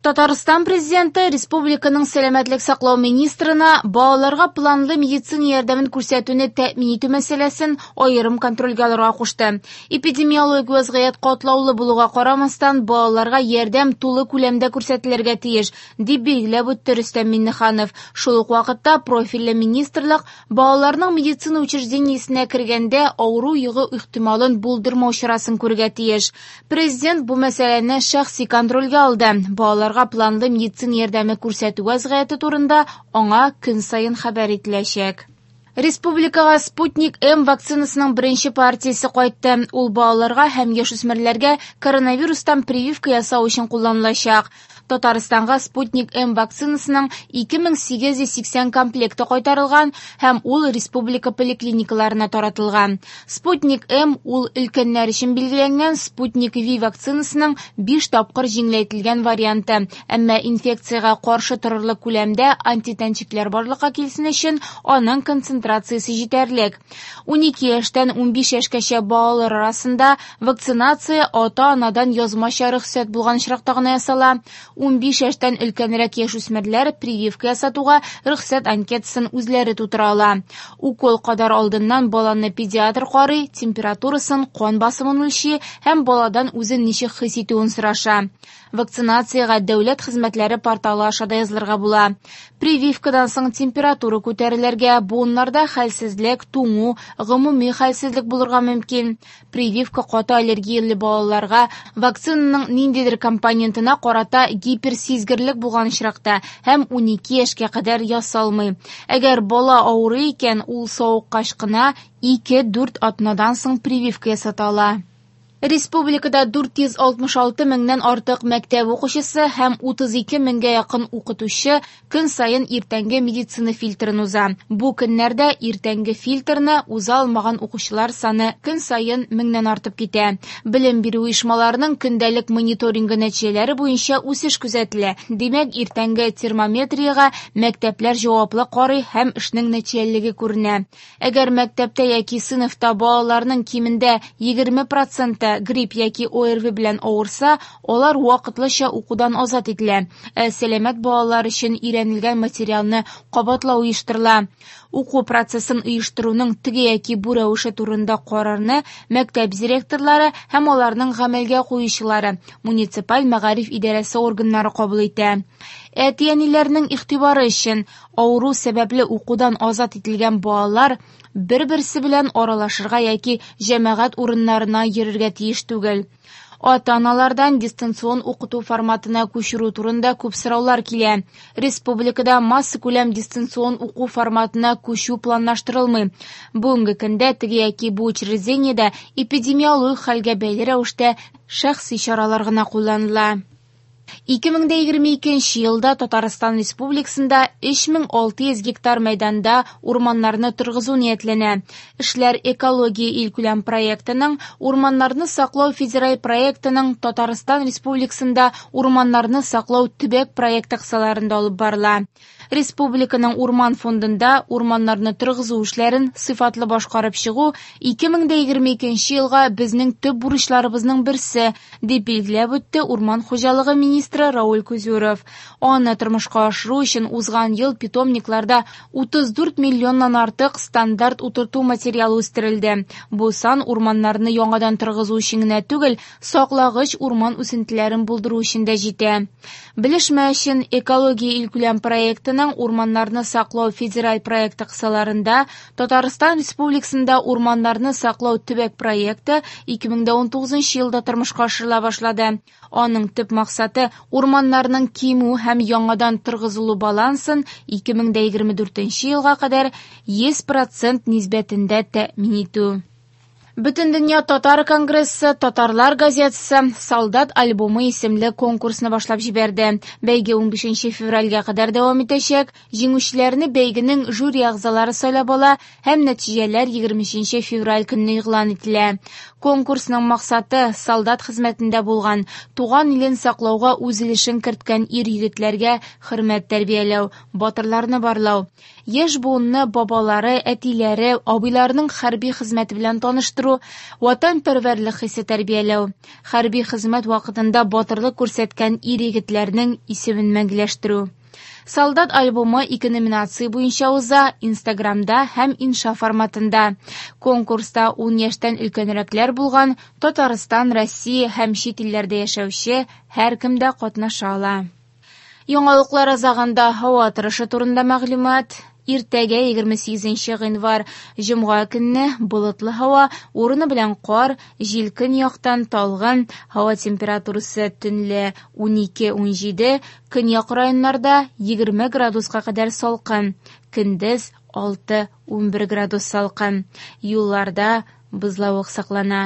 Татарстан Президенты республиканың сәламәтлек саклау министрына балаларга планлы медицина ярдәмен күрсәтүне тәэмин итү мәсьәләсен аерым контрольгә алырга кушты. Эпидемиологик вазгыять катлаулы булуга карамастан, балаларга ярдәм тулы күләмдә күрсәтелергә тиеш, дип билгеләп үтте Рөстәм Миңнеханов. Шул ук вакытта профильле министрлык балаларның медицина учреждениесенә кергәндә авыру йогу ихтималын булдырмау чарасын күрергә тиеш. Президент бу мәсьәләне шәхси контрольгә алды. Балаларга планлы медицина ярдәме күрсәтү вазгыяте турында аңа көн саен хәбәр ителәчәк. Республикага Спутник М вакцинасының беренче партиясе кайтты. Ул балаларга һәм яшүсмерләргә коронавирустан прививка ясау өчен кулланылачак. Татарстанга Спутник М вакцинасының 2880 комплекты кайтарылган һәм ул республика поликлиникаларына таратылган. Спутник М ул өлкәннәр өчен билгеләнгән Спутник V вакцинасының 5 тапкыр җиңеләйтелгән варианты. Әмма инфекциягә каршы торырлык күләмдә антитәнчекләр барлыкка килсен өчен аның концентрациясе җитәрлек. 12 яшьтән 15 яшькәчә балалар арасында вакцинация ата-анадан язмача рөхсәт булган очракта гына ясала. 15 яшьтән өлкәнрәк яшүсмерләр прививка ясатуга рөхсәт анкетасын үзләре тутыра ала. Укол кадар алдыннан баланы педиатр карый, температурасын, кан басымын үлчи һәм баладан үзен ничек хис итүен сораша. Вакцинациягә дәүләт хезмәтләре порталы аша да язылырга була. Прививкадан соң температура күтәрелергә, буыннарда хәлсезлек, туңу, гомуми хәлсезлек булырга мөмкин. Прививка каты аллергияле балаларга вакцинаның ниндидер компонентына карата гиперсизгерлек булган очракта һәм 12 яшькә кадәр ясалмый. Әгәр бала авырый икән, ул савыккач кына 2-4 атнадан соң прививка ясата ала. Республикада 466 меңнән артык мәктәп укучысы һәм 32 меңгә якын укытучы көн саен иртәнге медицина фильтрын уза. Бу көннәрдә иртәнге фильтрны уза алмаган укучылар саны көн саен меңнән артып китә. Белем бирү оешмаларының көндәлек мониторингы нәтиҗәләре буенча үсеш күзәтелә. Димәк, иртәнге термометриягә мәктәпләр җаваплы карый һәм эшнең нәтиҗәлелеге күренә. Әгәр мәктәптә яки сыйныфта балаларның кимендә 20% грипп яки ОРВ белән авырса, алар вакытлыча укудан азат ителә. Ә сәламәт балалар өчен өйрәнелгән материалны кабатлау оештырыла. Уку процессын оештыруның теге яки бу рәвеше турында карарны мәктәп директорлары һәм аларның гамәлгә куючылары, муниципаль мәгариф идарәсе органнары кабул итә. Әти-әниләрнең игътибары өчен авыру сәбәпле укудан азат ителгән балалар бер-берсе белән аралашырга яки җәмәгать урыннарына йөрергә тиеш түгел. Ата-аналардан дистанцион укыту форматына күчерү турында күп сораулар килә. Республикада массакүләм дистанцион уку форматына күчү планлаштырылмый. Бүгенге көндә теге яки бу учреждениедә эпидемиологик хәлгә бәйле рәвештә шәхси чаралар гына кулланыла. 2022 елда Татарстан Республикасында 3600 гектар мәйданда урманнарны торгызу ниятләнә. Эшләр Экология илкүләм проектының Урманнарны саклау федераль проектының Татарстан Республикасында урманнарны саклау төбәк проекты кысаларында алып барыла. Республиканың урман фондында урманнарны торгызу эшләрен сыйфатлы башкарып чыгу 2022 елга безнең төп бурычларыбызның берсе, дип билгеләп үтте урман хуҗалыгы министры Рауль Кузюров. Аны тормышка ашыру өчен узган ел питомникларда 34 миллионнан артык стандарт утырту материалы үстерелде. Бу сан урманнарны яңадан торгызу өчен генә түгел, саклагыч урман үсентеләрен булдыру өчен дә җитә. Белешмә өчен Экология илкүләм проектының Урманнарны саклау федераль проекты кысаларында Татарстан Республикасында урманнарны саклау төбәк проекты 2019 елда тормышка ашырыла башлады. Аның төп максаты урманнарның кимү һәм яңадан торгызылу балансын 2024 елга кадәр 100% нисбәтендә тәэмин итү. Бөтендөнья татар конгрессы Татарлар газетасы Солдат альбомы исемле конкурсны башлап җибәрде. Бәйге 15 февральгә кадәр дәвам итәчәк. Җиңүчеләрне бәйгенең жюри әгъзалары сайлап ала һәм нәтиҗәләр 23 февраль көнне игълан ителә. Конкурсның максаты солдат хезмәтендә булган, туган илен саклауга үз өлешен керткән ир-егетләргә хөрмәт тәрбияләү, батырларны барлау. Яшь буынны бабалары, әтиләре, абыйларының хәрби хезмәте белән таныштыру. арттыру, ватанпәрвәрлек хисе тәрбияләү, хәрби хезмәт вакытында батырлык күрсәткән ир-егетләрнең исемен мәңгеләштерү. Солдат альбомы ике номинация буенча уза, Инстаграмда һәм инша форматында. Конкурста 10 яшьтән өлкәнрәкләр булган Татарстан, Россия һәм чит илләрдә яшәүче һәркем дә катнаша ала. Яңалыклар азагында һава торышы турында мәгълүмат. Иртәгә 28 гыйнвар җомга көнне болытлы һава, урыны белән кар, җил көньяктан талгын, һава температурасы төнлә 12-17, көньяк районнарда 20 градуска кадәр салкын, көндез 6-11 градус салкын. Юлларда бозлавык саклана.